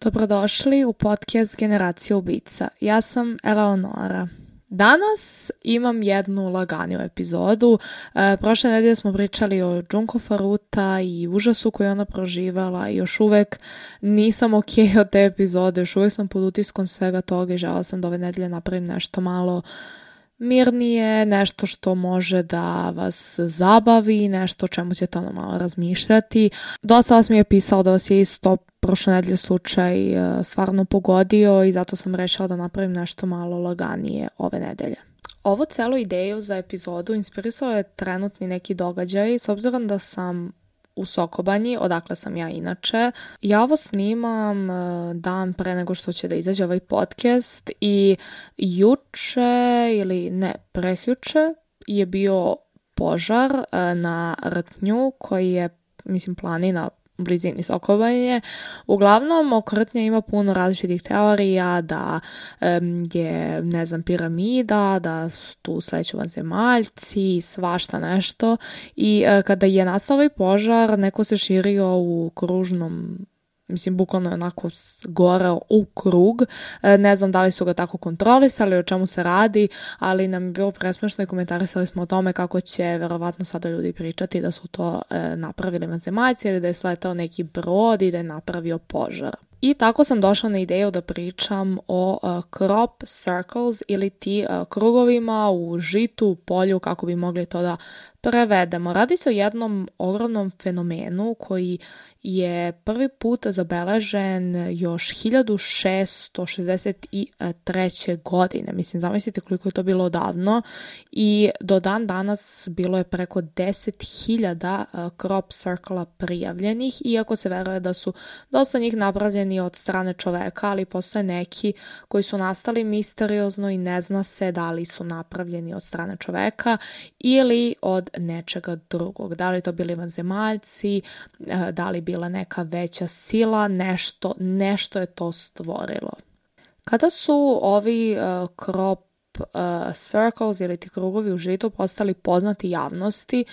Dobrodošli u podcast Generacija ubica. Ja sam Eleonora. Danas imam jednu laganiju epizodu. Prošle nedelje smo pričali o Junko Furuta i užasu koju ona proživala i još uvek nisam ok od te epizode, još uvek sam pod utiskom svega toga i žela sam da ove nedelje napravim nešto malo mirnije, nešto što može da vas zabavi, nešto o čemu ćete ono malo razmišljati. Dosta vas mi je pisalo da vas je isto prošle nedelje slučaj stvarno pogodio i zato sam rešila da napravim nešto malo laganije ove nedelje. Ovu celu ideju za epizodu inspirisalo je trenutni neki događaj, s obzirom da sam u Sokobanji, odakle sam ja inače. Ja ovo snimam dan pre nego što će da izađe ovaj podcast i prekjuče je bio požar na Rtnju koji je, planina u blizini Sokobanje. Uglavnom, oko Rtnja ima puno različitih teorija da je, piramida, da tu sleću vanzemaljci, svašta nešto. I kada je nastao ovaj požar, neko se širio u kružnom, bukvalno je onako goreo u krug. Ne znam da li su ga tako kontrolisali, o čemu se radi, ali nam je bilo presmešno i komentarisali smo o tome kako će verovatno sada ljudi pričati da su to napravili vanzemaljci ili da je sletao neki brod i da je napravio požar. I tako sam došla na ideju da pričam o crop circles ili ti krugovima u žitu, u polju, kako bi mogli to da prevedemo. Radi se o jednom ogromnom fenomenu koji je prvi put zabeležen još 1663. godine. Zamislite koliko je to bilo odavno i do dan danas bilo je preko 10.000 crop circla prijavljenih, iako se veruje da su dosta njih napravljeni od strane čoveka, ali postoje neki koji su nastali misteriozno i ne zna se da li su napravljeni od strane čoveka ili od nečega drugog. Da li to bili vanzemaljci, da li bila neka veća sila, nešto je to stvorilo. Kada su ovi crop circles ili ti krugovi u žitu postali poznati javnosti,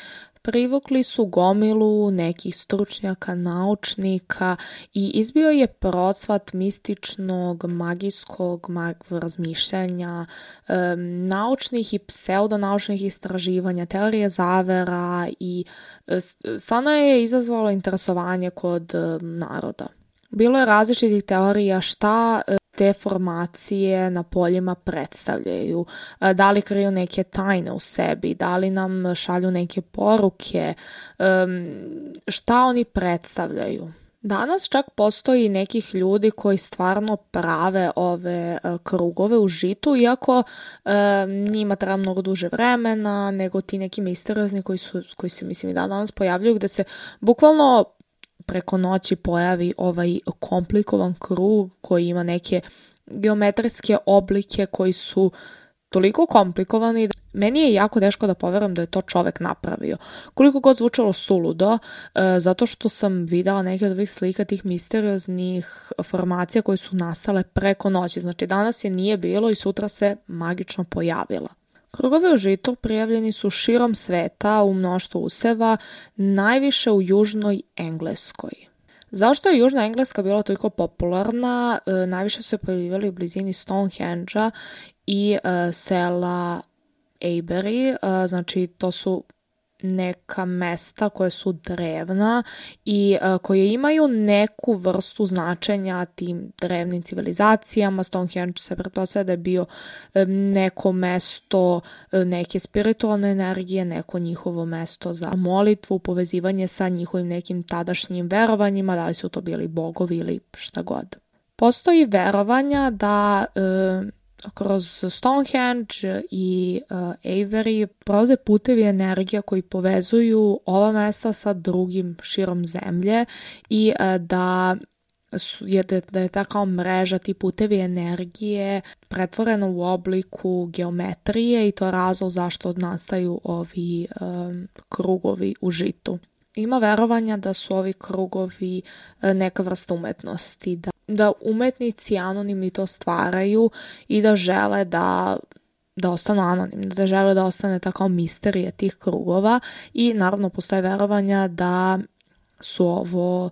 privukli su gomilu nekih stručnjaka, naučnika i izbio je procvat mističnog, magijskog razmišljanja, naučnih i pseudonaučnih istraživanja, teorije zavera i stvarno je izazvalo interesovanje kod naroda. Bilo je različitih teorija šta te formacije na poljima predstavljaju, da li kriju neke tajne u sebi, da li nam šalju neke poruke, šta oni predstavljaju. Danas čak postoji nekih ljudi koji stvarno prave ove krugove u žitu, iako njima treba mnogo duže vremena nego ti neki misteriozni koji se i danas pojavljuju, gde se bukvalno preko noći pojavi ovaj komplikovan krug koji ima neke geometrijske oblike koji su toliko komplikovani da meni je jako teško da poverujem da je to čovek napravio. Koliko god zvučalo suludo, zato što sam videla neke od ovih slika tih misterioznih formacija koje su nastale preko noći. Znači danas je nije bilo i sutra se magično pojavila. Krugovi u žitu prijavljeni su širom sveta u mnoštvu useva, najviše u južnoj Engleskoj. Zašto je južna Engleska bila toliko popularna? Najviše su je pojavljivali u blizini Stonehenge-a i sela Avebury, znači to su neka mesta koje su drevna i koje imaju neku vrstu značenja tim drevnim civilizacijama. Stonehenge se pretpostavlja da je bio neko mesto neke spiritualne energije, neko njihovo mesto za molitvu, povezivanje sa njihovim nekim tadašnjim verovanjima, da li su to bili bogovi ili šta god. Postoji verovanja da kroz Stonehenge i Avebury prolaze putevi energija koji povezuju ova mesta sa drugim širom zemlje i da je ta kao mreža, ti putevi energije pretvorena u obliku geometrije i to je razlog zašto nastaju ovi krugovi u žitu. Ima verovanja da su ovi krugovi neka vrsta umetnosti, da umetnici anonimni to stvaraju i da žele da ostanu anonimni, da žele da ostane ta kao misterija tih krugova i naravno postoje verovanja da su ovo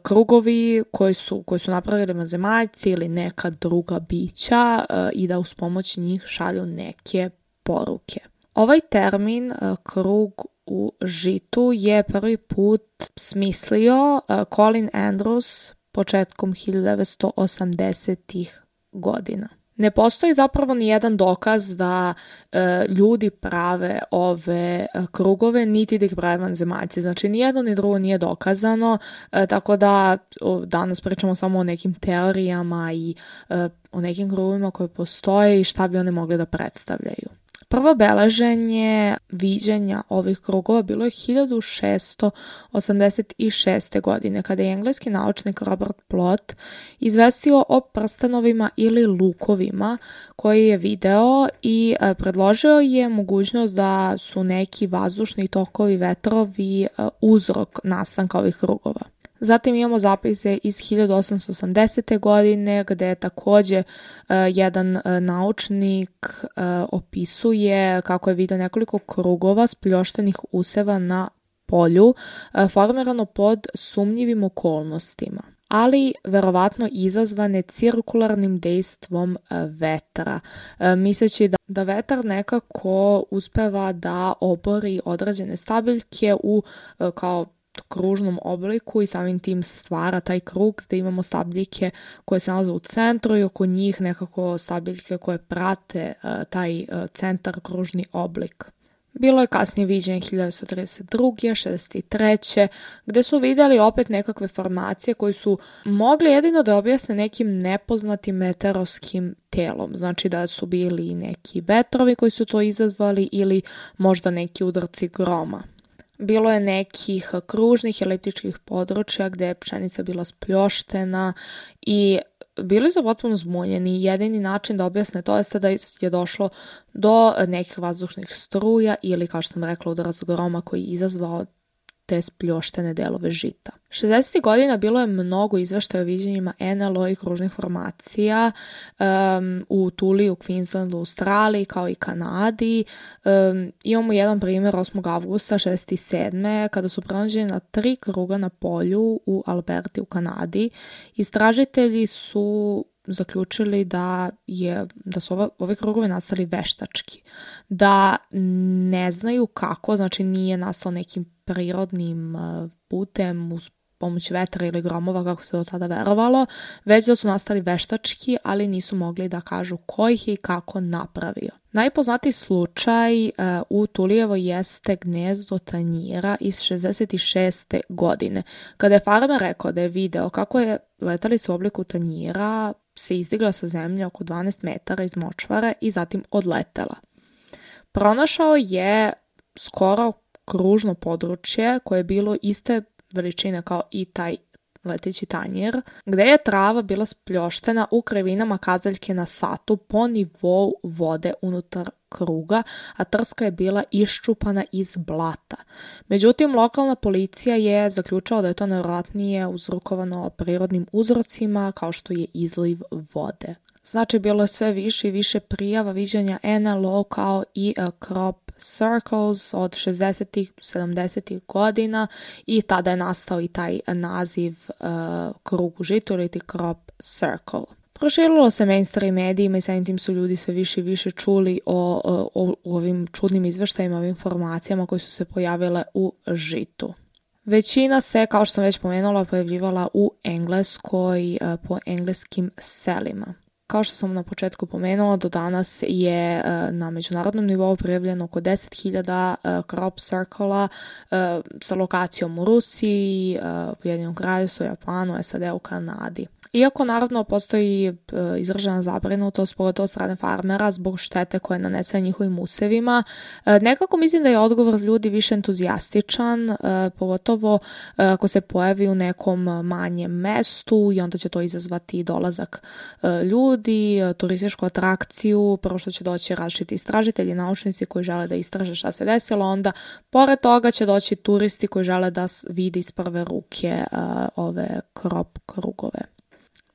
krugovi koji su napravili vanzemaljci ili neka druga bića i da uz pomoć njih šalju neke poruke. Ovaj termin krug u žitu je prvi put smislio Colin Andrews početkom 1980-ih godina. Ne postoji zapravo ni jedan dokaz da ljudi prave ove krugove, niti da ih prave vanzemaljci. Znači, ni jedno ni drugo nije dokazano, tako da danas pričamo samo o nekim teorijama i o nekim krugovima koje postoje i šta bi oni mogli da predstavljaju. Prvo beleženje viđenja ovih krugova bilo je 1686. godine, kada je engleski naučnik Robert Plot izvestio o prstenovima ili lukovima koji je video i predložio je mogućnost da su neki vazdušni tokovi, vetrovi uzrok nastanka ovih krugova. Zatim imamo zapise iz 1880. godine gde je takođe jedan naučnik opisuje kako je vidio nekoliko krugova spljoštenih useva na polju formirano pod sumnjivim okolnostima, ali verovatno izazvane cirkularnim dejstvom vetra, misleći da vetar nekako uspeva da obori određene stabiljke u kao kružnom obliku i samim tim stvara taj krug gde imamo stabiljke koje se nalaze u centru i oko njih nekako stabiljke koje prate taj centar, kružni oblik. Bilo je kasnije viđenje 1932. 63. gde su vidjeli opet nekakve formacije koji su mogli jedino da objasne nekim nepoznatim meteorskim telom. Znači da su bili neki vetrovi koji su to izazvali ili možda neki udarci groma. Bilo je nekih kružnih eliptičkih područja gde je pšenica bila spljoštena i bili su potpuno zbunjeni. Jedini način da objasne to je da je došlo do nekih vazdušnih struja ili, kao što sam rekla, udarac groma koji je izazvao te spljoštene delove žita. 60. godina bilo je mnogo izveštaja o viđenjima NLO i kružnih formacija u Tuli, u Queenslandu, u Australiji kao i Kanadi. Imamo jedan primjer 8. avgusta 67. kada su pronađena 3 kruga na polju u Alberti u Kanadi. Istražitelji su zaključili da su ove krugove nastali veštački, da ne znaju kako, znači nije nastao nekim prirodnim putem uz pomoć vetra ili gromova kako se do tada verovalo, već da su nastali veštački, ali nisu mogli da kažu ko ih je i kako napravio. Najpoznatiji slučaj u Tulijevo jeste gnezdo tanjira iz 66. godine. Kada je farmer rekao da je video kako je letalica u obliku tanjira se izdigla sa zemlje oko 12 metara iz močvare i zatim odletela. Pronašao je skoro kružno područje koje je bilo iste veličine kao i taj leteći tanjir, gde je trava bila spljoštena u krivinama kazaljke na satu po nivou vode unutar kruga, a trska je bila iščupana iz blata. Međutim, lokalna policija je zaključila da je to nevjerojatnije uzrokovano prirodnim uzrocima kao što je izliv vode. Znači, bilo je sve više i više prijava viđanja NLO kao i crop circles od 60-ih, 70-ih godina i tada je nastao i taj naziv krug u žitu ili ti crop circle. Proširilo se mainstream medijima i samim tim su ljudi sve više i više čuli o ovim čudnim izveštajima, ovim informacijama koje su se pojavile u žitu. Većina se, kao što sam već pomenula, pojavljivala u Engleskoj po engleskim selima. Kao što sam na početku pomenula, do danas je na međunarodnom nivou prijavljeno oko 10.000 crop circlea sa lokacijom u Rusiji, Ujedinjenom Kraljevstvu, Japanu, SAD-u, Kanadi. Iako naravno postoji izražena zabrinutost, pogotovo od strane farmera, zbog štete koje nanese njihovim usevima, nekako mislim da je odgovor ljudi više entuzijastičan, pogotovo ako se pojavi u nekom manjem mestu i onda će to izazvati dolazak ljudi, turističku atrakciju, prvo što će doći različiti istražitelji, naučnici koji žele da istraže šta se desilo, onda pored toga će doći turisti koji žele da vidi iz prve ruke ove crop krugove.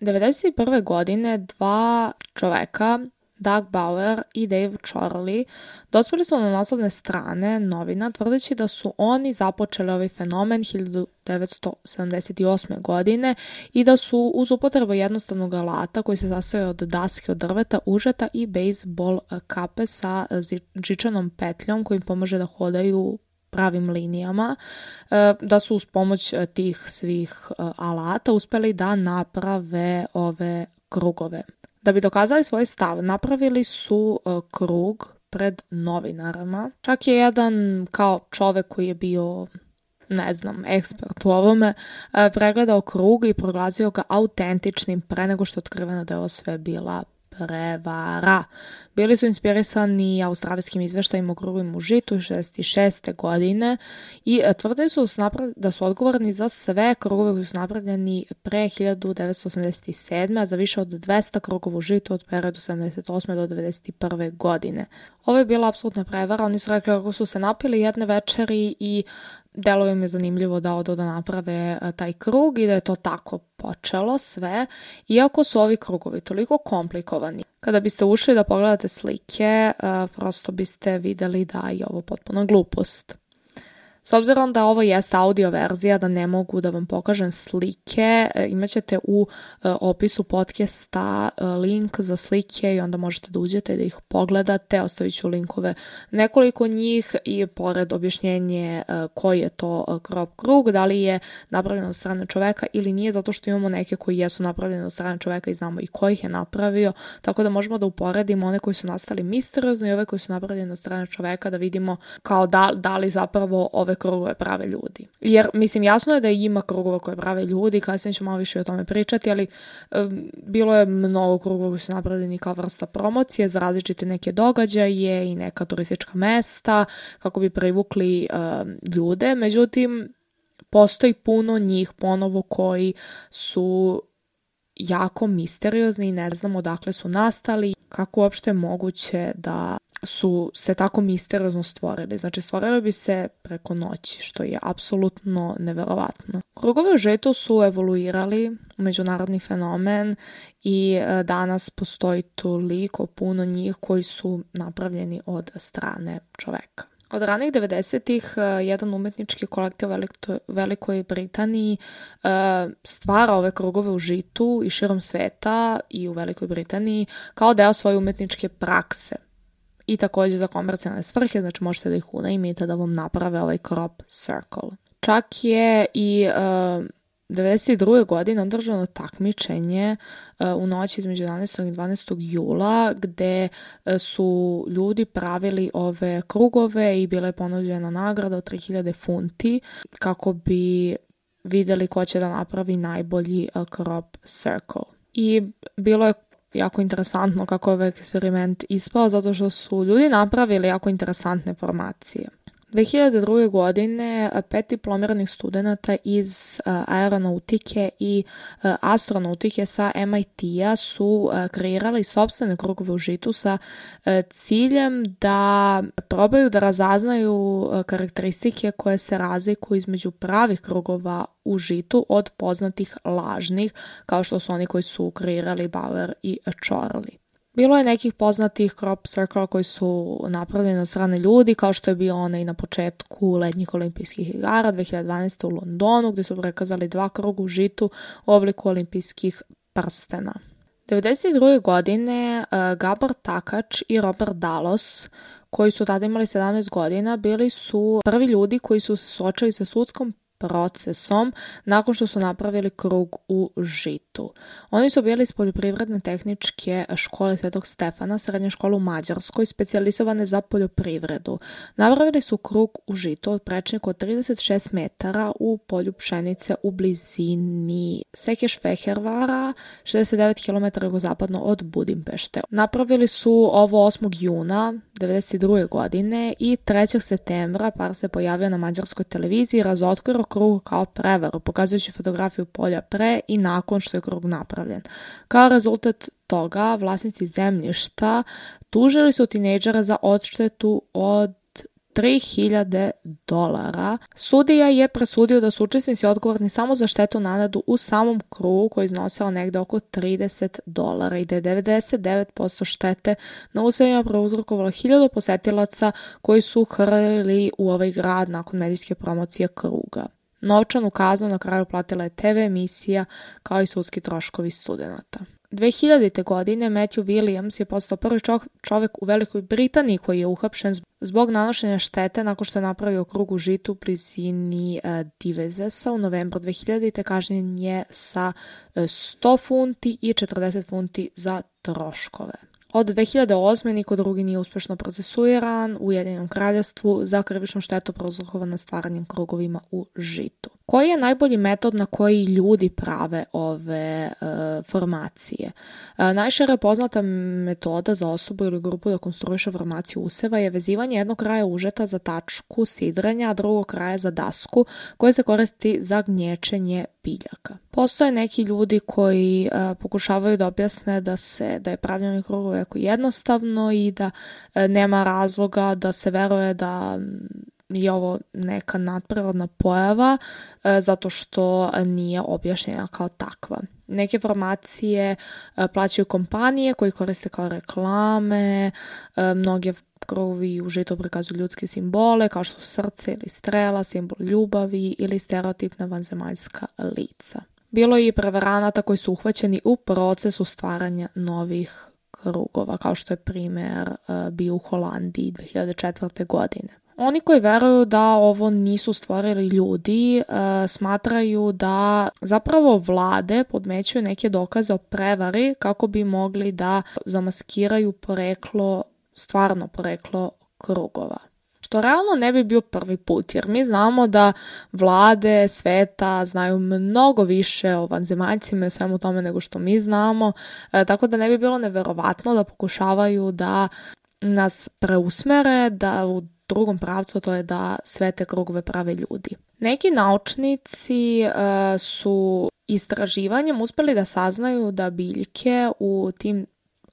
1991. godine 2 čoveka Doug Bauer i Dave Chorley dospeli su na naslovne strane novina tvrdeći da su oni započeli ovaj fenomen 1978. godine i da su uz upotrebu jednostavnog alata koji se sastoji od daske od drveta, užeta i bejsbol kape sa žičanom petljom kojim pomaže da hodaju pravim linijama, da su uz pomoć tih svih alata uspeli da naprave ove krugove. Da bi dokazali svoj stav, napravili su krug pred novinarama. Čak je jedan kao čovek koji je bio, ne znam, ekspert u ovome, pregledao krug i proglasio ga autentičnim pre nego što je otkriveno da je ovo sve bila prevara. Bili su inspirisani australijskim izveštajima o krugovima u žitu 66. godine i tvrdili su da su odgovorni za sve krugove koji su napravljeni pre 1987. a za više od 200 krugova u žitu od periodu 78. do 91. godine. Ovo je bila apsolutna prevara. Oni su rekli kako su se napili jedne večeri i delo im je zanimljivo da odu da naprave taj krug i da je to tako počelo sve, iako su ovi krugovi toliko komplikovani. Kada biste ušli da pogledate slike, prosto biste videli da je ovo potpuno glupost. S obzirom da ovo jeste audio verzija, da ne mogu da vam pokažem slike, imat ćete u opisu podcasta link za slike i onda možete da uđete da ih pogledate. Ostavit ću linkove nekoliko njih i pored objašnjenje koji je to crop krug, da li je napravljeno od strane čoveka ili nije, zato što imamo neke koji jesu napravljene od strane čoveka i znamo i ko ih je napravio, tako da možemo da uporedimo one koji su nastali misteriozno i ove koji su napravljene od strane čoveka, da vidimo kao da li zapravo ove krugove prave ljudi. Jer, mislim, jasno je da ima krugova koje prave ljudi, kasnije ću malo više o tome pričati, ali bilo je mnogo krugova koji su napravljeni kao vrsta promocije za različite neke događaje i neka turistička mesta kako bi privukli ljude. Međutim, postoji puno njih ponovo koji su jako misteriozni i ne znamo odakle su nastali, kako uopšte je moguće da su se tako misteriozno stvorili. Znači, stvorili bi se preko noći, što je apsolutno neverovatno. Krugovi u žitu su evoluirali u međunarodni fenomen i danas postoji toliko puno njih koji su napravljeni od strane čoveka. Od ranih 90-ih jedan umetnički kolektiv u Velikoj Britaniji stvara ove krugove u žitu i širom sveta i u Velikoj Britaniji kao deo svoje umetničke prakse. I također za komercijalne svrhe, znači možete da ih unajmite da vam naprave ovaj crop circle. Čak je i 1992. godine održano takmičenje u noći između 11. i 12. jula gde su ljudi pravili ove krugove i bila je ponuđena nagrada od 3000 funti kako bi videli ko će da napravi najbolji crop circle. I bilo je jako interesantno kako je ovaj eksperiment ispao zato što su ljudi napravili jako interesantne formacije. 2002. godine 5 diplomiranih studenata iz aeronautike i astronautike sa MIT-a su kreirali sopstvene krugove u žitu sa ciljem da probaju da razaznaju karakteristike koje se razlikuju između pravih krugova u žitu od poznatih lažnih, kao što su oni koji su kreirali Bauer i Chorley. Bilo je nekih poznatih crop circle koji su napravljeni od strane ljudi, kao što je bio onaj na početku letnjih olimpijskih igara 2012. u Londonu, gdje su prikazali 2 kruga u žitu u obliku olimpijskih prstena. 1992. godine Gabor Takač i Robert Dalos, koji su tada imali 17 godina, bili su prvi ljudi koji su se suočili sa sudskom procesom nakon što su napravili krug u žitu. Oni su bili iz poljoprivredne tehničke škole Svetog Stefana, srednje škole u Mađarskoj, specijalizovane za poljoprivredu. Napravili su krug u žitu od prečnika od 36 metara u polju pšenice u blizini Sekeš-Fehervara, 69 km jugozapadno od Budimpešte. Napravili su ovo 8. juna 1992. godine i 3. septembra par se pojavio na mađarskoj televiziji i razotkrio krug kao prevaru, pokazujući fotografiju polja pre i nakon što je krug napravljen. Kao rezultat toga, vlasnici zemljišta tužili su tinejdžera za odštetu od $3.000. Sudija je presudio da su učesnici odgovorni samo za štetu nanetu u samom krugu koji iznosila negde oko $30 i da je 99% štete na usevima prouzrokovalo 1000 posetilaca koji su hrlili u ovaj grad nakon medijske promocije kruga. Novčanu kaznu na kraju platila je TV emisija kao i sudski troškovi studenata. 2000. godine Matthew Williams je postao prvi čovjek u Velikoj Britaniji koji je uhapšen zbog nanošenja štete nakon što je napravio krug u žitu u blizini Devizesa. U novembru 2000. kažnjen je sa 100 funti i 40 funti za troškove. Od 2008. niko drugi nije uspješno procesuiran u Ujedinjenom kraljevstvu za krivičnu štetu prouzrokovanu stvaranjem krugovima u žitu. Koji je najbolji metod na koji ljudi prave ove formacije? Najšire poznata metoda za osobu ili grupu da konstruiše formaciju useva je vezivanje jednog kraja užeta za tačku sidrenja, a drugog kraja za dasku koje se koristi za gnječenje biljaka. Postoje neki ljudi koji pokušavaju da objasne da je pravljenje krugova jako jednostavno i da nema razloga da se veruje da je ovo neka nadprirodna pojava zato što nije objašnjena kao takva. Neke formacije plaćaju kompanije koji koriste kao reklame, mnoge krugovi u žitu prikazuju ljudske simbole kao što su srce ili strela, simbol ljubavi ili stereotipna vanzemaljska lica. Bilo je i prevaranata koji su uhvaćeni u procesu stvaranja novih krugova, kao što je primjer bio u Holandiji 2004. godine. Oni koji veruju da ovo nisu stvorili ljudi, smatraju da zapravo vlade podmećuju neke dokaze o prevari kako bi mogli da zamaskiraju stvarno poreklo krugova. Što realno ne bi bio prvi put, jer mi znamo da vlade sveta znaju mnogo više o vanzemaljcima i svemu tome nego što mi znamo, tako da ne bi bilo neverovatno da pokušavaju da nas preusmere, da u drugom pravcu, to je da sve te krugove prave ljudi. Neki naučnici su istraživanjem uspjeli da saznaju da biljke u tim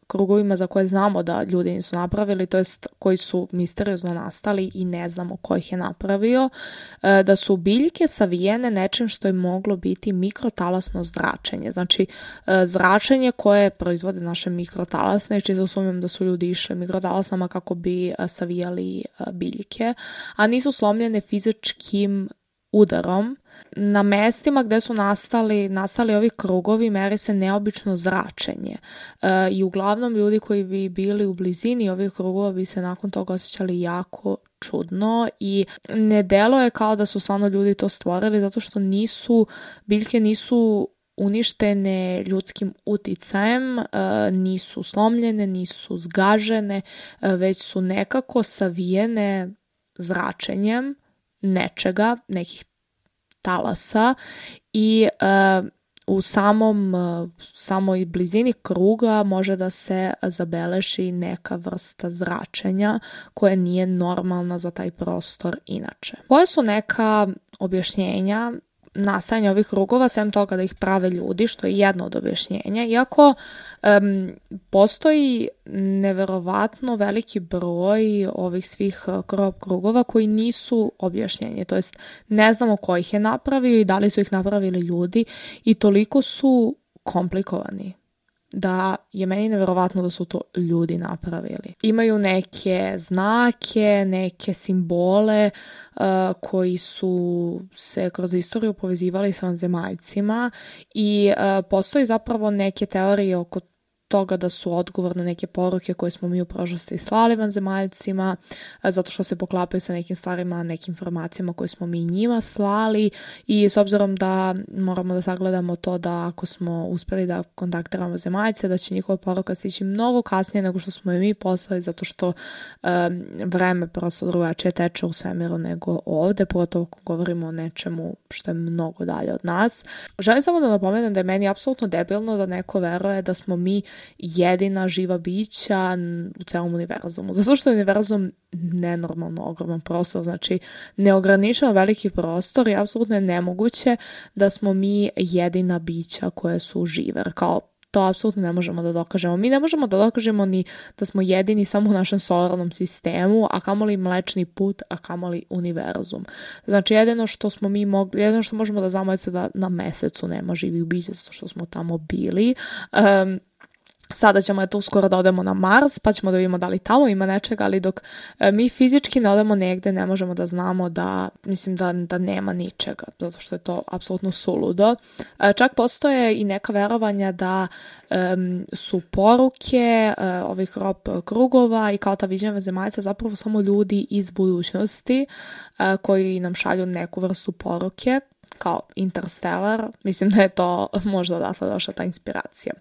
krugovima za koje znamo da ljudi nisu napravili, to jest koji su misteriozno nastali i ne znamo ko ih je napravio, da su biljke savijene nečim što je moglo biti mikrotalasno zračenje. Znači, zračenje koje proizvode naše mikrotalasne, čisto sumnjam da su ljudi išli mikrotalasama kako bi savijali biljke, a nisu slomljene fizičkim udarom. Na mestima gde su nastali ovi krugovi meri se neobično zračenje i uglavnom ljudi koji bi bili u blizini ovih krugova bi se nakon toga osjećali jako čudno i ne deluje kao da su stvarno ljudi to stvorili zato što biljke nisu uništene ljudskim uticajem, nisu slomljene, nisu zgažene, već su nekako savijene zračenjem nečega, nekih talasa i u samoj blizini kruga može da se zabeleži neka vrsta zračenja koja nije normalna za taj prostor inače. Koje su neka objašnjenja nastajanja ovih krugova, sem toga da ih prave ljudi, što je jedno od objašnjenja, iako postoji neverovatno veliki broj ovih svih krugova koji nisu objašnjenje, to jest ne znamo ko ih je napravio i da li su ih napravili ljudi i toliko su komplikovani da je meni neverovatno da su to ljudi napravili. Imaju neke znake, neke simbole koji su se kroz istoriju povezivali sa vanzemaljcima i postoji zapravo neke teorije oko toga da su odgovorne neke poruke koje smo mi u prošlosti slali vanzemaljcima, zato što se poklapaju sa nekim stvarima, nekim informacijama koje smo mi njima slali i s obzirom da moramo da sagledamo to da ako smo uspjeli da kontaktiramo vanzemaljce, da će njihova poruka stići mnogo kasnije nego što smo je mi poslali, zato što vreme prosto drugačije teče u svemiru nego ovde, pogotovo ako govorimo o nečemu što je mnogo dalje od nas. Želim samo da napomenem da je meni apsolutno debilno da neko veruje da smo mi jedina živa bića u celom univerzumu. Zato što je univerzum nenormalno ogroman prostor, znači neograničeno veliki prostor i apsolutno je nemoguće da smo mi jedina bića koje su žive. Kao to apsolutno ne možemo da dokažemo. Mi ne možemo da dokažemo ni da smo jedini samo u našem solarnom sistemu, a kamoli Mlečni put, a kamoli univerzum. Znači, jedino što možemo da znamo je da na Mesecu nema živih bića, zato što smo tamo bili. Sada ćemo uskoro da odemo na Mars, pa ćemo da vidimo da li tamo ima nečega, ali dok mi fizički ne odemo negde, ne možemo da znamo da nema ničega, zato što je to apsolutno suludo. Čak postoje i neka verovanja da su poruke ovih krugova i kao ta viđenja vanzemaljca zapravo samo ljudi iz budućnosti koji nam šalju neku vrstu poruke, kao Interstellar. Mislim da je to možda odatle došla ta inspiracija.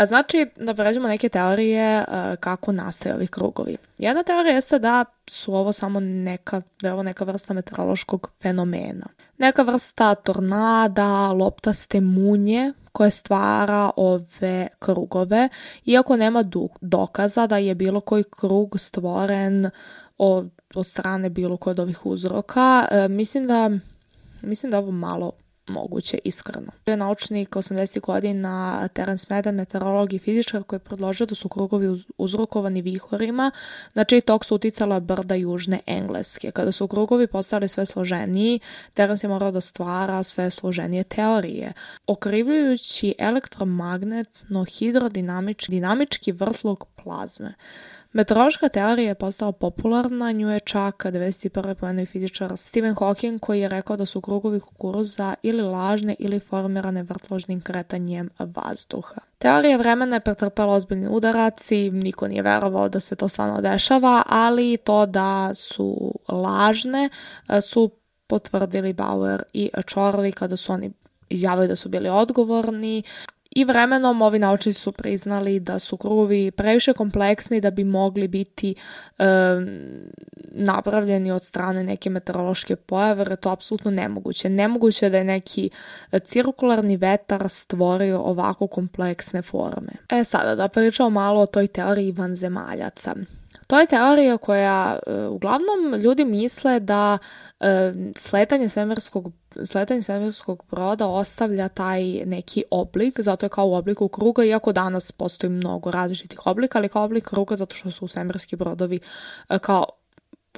Znači, da pređemo neke teorije kako nastaju ovi krugovi. Jedna teorija jeste da su ovo samo neka vrsta meteorološkog fenomena. Neka vrsta tornada, loptaste munje koje stvara ove krugove, iako nema dokaza da je bilo koji krug stvoren od strane bilo koje od ovih uzroka. Mislim da ovo malo moguće, iskreno. To je naučnik 80. godina Terence Madden, meteorolog i fizičar, koji je predložio da su krugovi uzrokovani vihorima, na čiji tok su uticala brda južne Engleske. Kada su krugovi postali sve složeniji, Terence je morao da stvara sve složenije teorije, okrivljujući elektromagnetno hidrodinamički vrtlog plazme. Meteorološka teorija je postala popularna, nju je čak 1991. pomenuo i fizičar Stephen Hawking, koji je rekao da su krugovi kukuruza ili lažne ili formirane vrtložnim kretanjem vazduha. Teorija vremena je pretrpela ozbiljni udarac i niko nije verovao da se to stvarno dešava, ali to da su lažne su potvrdili Bauer i Chorley kada su oni izjavili da su bili odgovorni. I vremenom ovi naučnici su priznali da su krugovi previše kompleksni da bi mogli biti napravljeni od strane neke meteorološke pojave, jer je to apsolutno nemoguće. Nemoguće je da je neki cirkularni vetar stvorio ovako kompleksne forme. Sada da pričamo malo o toj teoriji vanzemaljaca. To je teorija koja uglavnom ljudi misle da sletanje svemirskog broda ostavlja taj neki oblik, zato je kao u obliku kruga, iako danas postoji mnogo različitih oblika, ali kao oblik kruga zato što su svemirski brodovi kao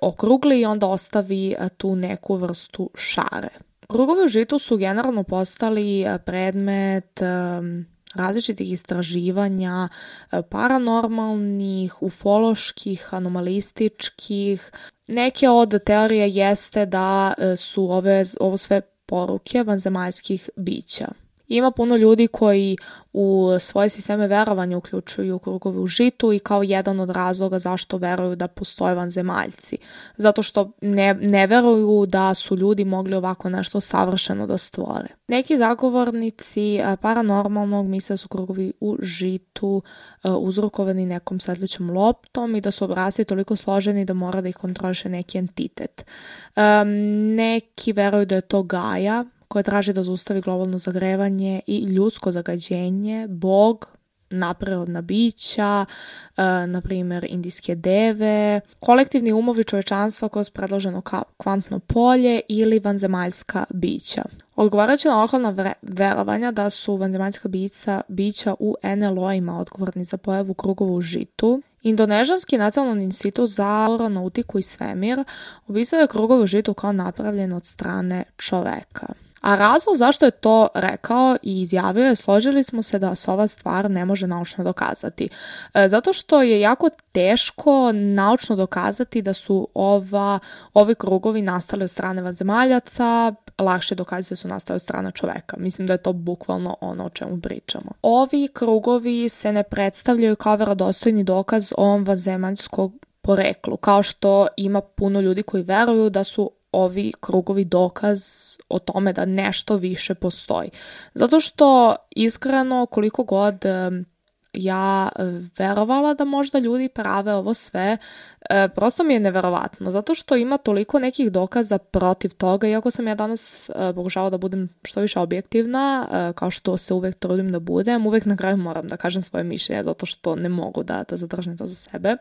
okrugli i onda ostavi tu neku vrstu šare. Krugovi u žitu su generalno postali predmet različitih istraživanja, paranormalnih, ufoloških, anomalističkih. Neke od teorija jeste da su ovo sve poruke vanzemaljskih bića. Ima puno ljudi koji u svoje sisteme verovanja uključuju krugove u žitu i kao jedan od razloga zašto veruju da postoje vanzemaljci. Zato što ne veruju da su ljudi mogli ovako nešto savršeno da stvore. Neki zagovornici paranormalnog misle da su krugovi u žitu uzrokovani nekom svetlećom loptom i da su obrasci toliko složeni da mora da ih kontroliše neki entitet. Neki veruju da je to Gaja, koja traži da zaustavi globalno zagrevanje i ljudsko zagađenje, Bog, nadprirodna bića, na primjer indijske deve, kolektivni umovi čovečanstva koje su predloženo kao kvantno polje ili vanzemaljska bića. Odgovarajući na lokalna verovanja da su vanzemaljska bića u NLO-ima odgovorni za pojavu krugova u žitu, Indonežanski nacionalni institut za aeronautiku i svemir opisao je krugove u žitu kao napravljen od strane čoveka. A razlog zašto je to rekao i izjavio je, složili smo se da se ova stvar ne može naučno dokazati. Zato što je jako teško naučno dokazati da su ovi krugovi nastali od strane vanzemaljaca, lakše dokazati da su nastali od strane čoveka. Mislim da je to bukvalno ono o čemu pričamo. Ovi krugovi se ne predstavljaju kao vjerodostojni dokaz o vanzemaljskom poreklu, kao što ima puno ljudi koji veruju da su ovi krugovi dokaz o tome da nešto više postoji. Zato što iskreno koliko god ja verovala da možda ljudi prave ovo sve, prosto mi je neverovatno, zato što ima toliko nekih dokaza protiv toga, iako sam ja danas pokušala da budem što više objektivna, kao što se uvek trudim da budem, uvek na kraju moram da kažem svoje mišljenje, zato što ne mogu da zadržim to za sebe.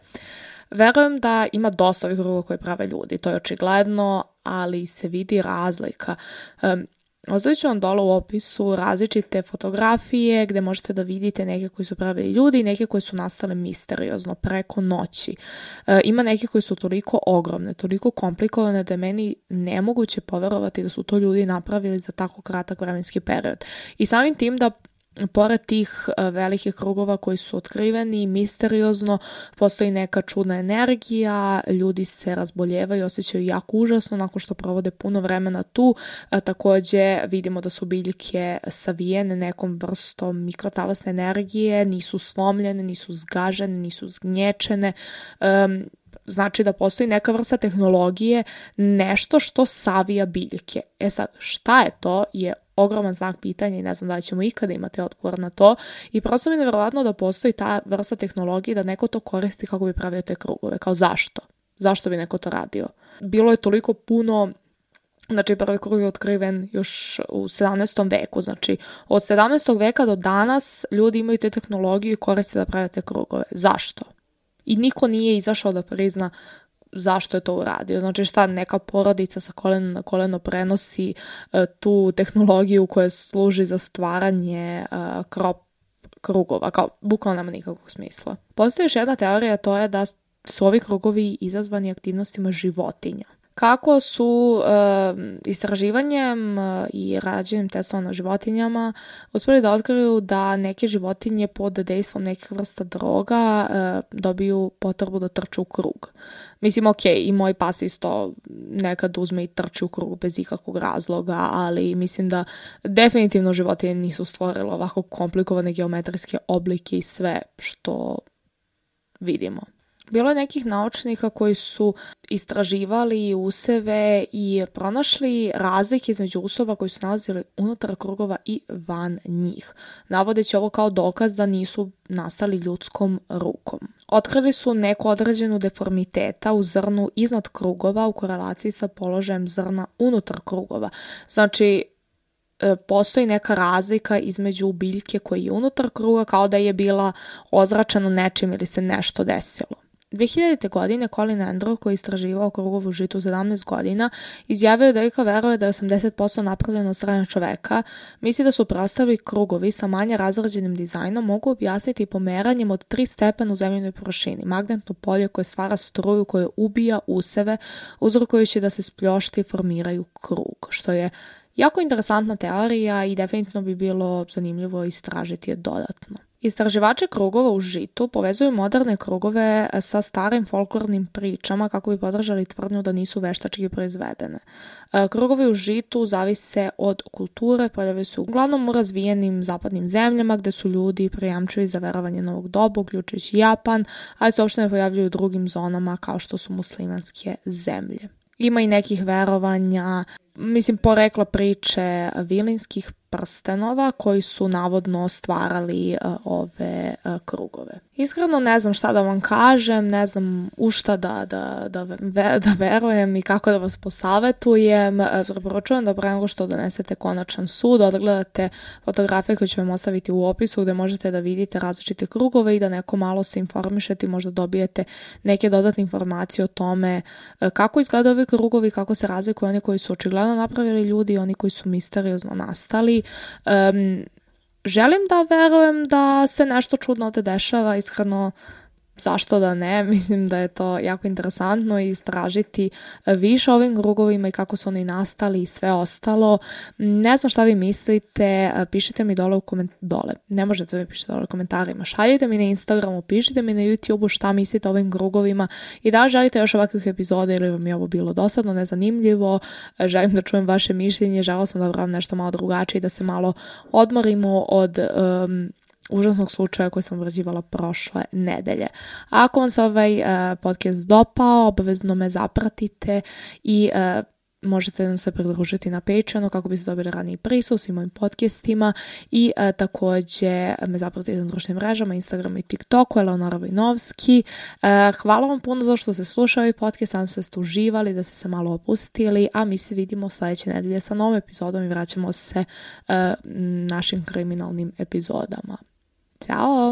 Verujem da ima dosta ovih krugova koje prave ljudi, to je očigledno, ali se vidi razlika. Ostavit ću vam dole u opisu različite fotografije gdje možete da vidite neke koji su pravili ljudi i neke koji su nastale misteriozno preko noći. Ima neke koji su toliko ogromne, toliko komplikovane da je meni nemoguće poverovati da su to ljudi napravili za tako kratak vremenski period. I samim tim da pored tih velikih krugova koji su otkriveni, misteriozno, postoji neka čudna energija, ljudi se razboljevaju, osjećaju jako užasno nakon što provode puno vremena tu. Također vidimo da su biljke savijene nekom vrstom mikrotalasne energije, nisu slomljene, nisu zgažene, nisu zgnječene. Znači da postoji neka vrsta tehnologije, nešto što savija biljke. Sad, šta je to je ogroman znak pitanja i ne znam da li ćemo ikada imati odgovor na to. I prosto mi je nevjerovatno da postoji ta vrsta tehnologije da neko to koristi kako bi pravio te krugove. Kao zašto? Zašto bi neko to radio? Bilo je toliko puno. Znači, prvi krug je otkriven još u 17. veku. Znači, od 17. veka do danas ljudi imaju te tehnologije i koriste da prave te krugove. Zašto? I niko nije izašao da prizna zašto je to uradio. Znači šta, neka porodica sa kolena na koleno prenosi tu tehnologiju koja služi za stvaranje krugova. Kao, bukvalno nema nikakvog smisla. Postoji još jedna teorija, to je da su ovi krugovi izazvani aktivnostima životinja. Kako su istraživanjem i rađenjem testova na životinjama uspjeli da otkriju da neke životinje pod dejstvom nekih vrsta droga dobiju potrebu da trču u krug. Mislim, ok, i moj pas isto nekad uzme i trči u krug bez ikakvog razloga, ali mislim da definitivno životinje nisu stvorile ovako komplikovane geometrijske oblike i sve što vidimo. Bilo je nekih naučnika koji su istraživali useve i pronašli razlike između usova koji su nalazili unutar krugova i van njih, navodeći ovo kao dokaz da nisu nastali ljudskom rukom. Otkrili su neku određenu deformiteta u zrnu iznad krugova u korelaciji sa položajem zrna unutar krugova. Znači, postoji neka razlika između biljke koja je unutar kruga kao da je bila ozračena nečim ili se nešto desilo. 2000. godine Colin Andrew, koji je istraživao krugovu žitu 17 godina, izjavio da Ika veruje da je 80% napravljeno od strane čoveka. Misli da su preostali krugovi sa manje razrađenim dizajnom mogu objasniti pomeranjem od 3 stepena u zemljinoj površini, magnetno polje koje stvara struju koje ubija useve, uzrokujući da se spljošti i formiraju krug, što je jako interesantna teorija i definitivno bi bilo zanimljivo istražiti je dodatno. Istraživači krugova u žitu povezuju moderne krugove sa starim folklornim pričama kako bi podržali tvrdnju da nisu veštački proizvedene. Krugovi u žitu zavise od kulture, pojavljaju se uglavnom u razvijenim zapadnim zemljama gdje su ljudi prijamčivi za verovanje novog doba, uključujući Japan, ali se uopšte ne pojavljuju u drugim zonama kao što su muslimanske zemlje. Ima i nekih verovanja, porekla priče vilinskih prstenova koji su navodno stvarali ove krugove. Iskreno ne znam šta da vam kažem, ne znam u šta da verujem i kako da vas posavetujem. Preporučujem da pre nego što donesete konačan sud, odgledate fotografije koje ću vam ostaviti u opisu gdje možete da vidite različite krugove i da neko malo se informišete i možda dobijete neke dodatne informacije o tome kako izgledaju ovi krugovi, kako se razlikuju oni koji su očigledno napravili ljudi i oni koji su misteriozno nastali. Želim da verujem da se nešto čudno ovdje dešava, iskreno zašto da ne, mislim da je to jako interesantno istražiti više o ovim krugovima i kako su oni nastali i sve ostalo. Ne znam šta vi mislite, pišite mi dole ne možete mi pišiti dole u komentarima, šaljite mi na Instagramu, pišite mi na YouTubeu šta mislite o ovim krugovima i da li želite još ovakvih epizoda ili vam je ovo bilo dosadno, nezanimljivo, želim da čujem vaše mišljenje, želim sam da vam nešto malo drugačije, da se malo odmorimo od užasnog slučaja koji sam obrađivala prošle nedelje. A ako vam se ovaj podcast dopao, obavezno me zapratite i možete nam se pridružiti na Patreonu kako biste dobili raniji prisus i mojim podcastima i također me zapratite na društvenim mrežama, Instagramu i TikToku, Eleonora Vojnovski. Hvala vam puno za što ste slušali ovaj podcast, nadam se da ste uživali, da ste se malo opustili, a mi se vidimo sljedeće nedelje sa novom epizodom i vraćamo se našim kriminalnim epizodama. Ćao!